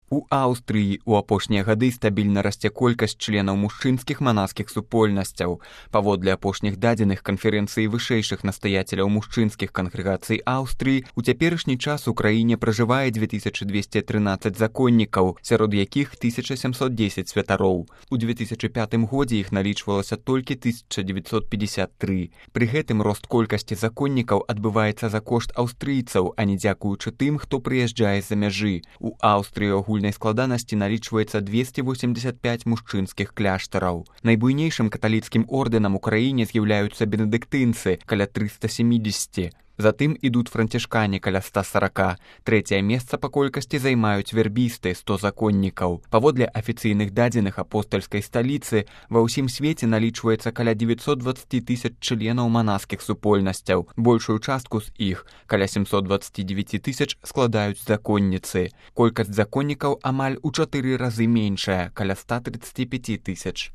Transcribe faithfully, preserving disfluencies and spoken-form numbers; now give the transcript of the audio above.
У Аўстрыі ў апошнія гады стабільна расце колькасць членаў мужчынскіх манаскіх супольнасцяў. Паводле апошніх дадзеных канферэнцыі вышэйшых настаяцеляў мужчынскіх кангрэгацый Аўстрыі, у цяперашні час у краіне пражывае дзве тысячы дзвесце трынаццаць законнікаў, сярод якіх тысяча сямсот дзесяць святароў. У две тысячы пятым годзе іх налічвалася толькі тысяча дзевяцьсот пятьдесят тры. Пры гэтым рост колькасці законнікаў адбываецца за кошт аўстрыйцаў, а не дзякуючы тым, хто прыязджае з-за мяжы. У Аўстрыі агульнай складанасці налічваецца двесце восемьдесят пять мужчынскіх кляштараў. Найбуйнейшым каталіцкім ордэнам у краіне з'яўляюцца бенедыктынцы, каля трыста семьдесят. Затым ідуць францішкане каля ста сорока. Трэцяе месца па колькасці займаюць вербісты, сто законнікаў. Паводле афіцыйных дадзеных апостальскай сталіцы, ва ўсім свеце налічваецца каля девятьсот двадцать тысяч членаў манаскіх супольнасцяў. Большую частку з іх, каля семьсот двадцать девять тысяч, складаюць законніцы. Колькасць законнікаў амаль у чатыры разы меншая, каля ста тридцать пять тысяч.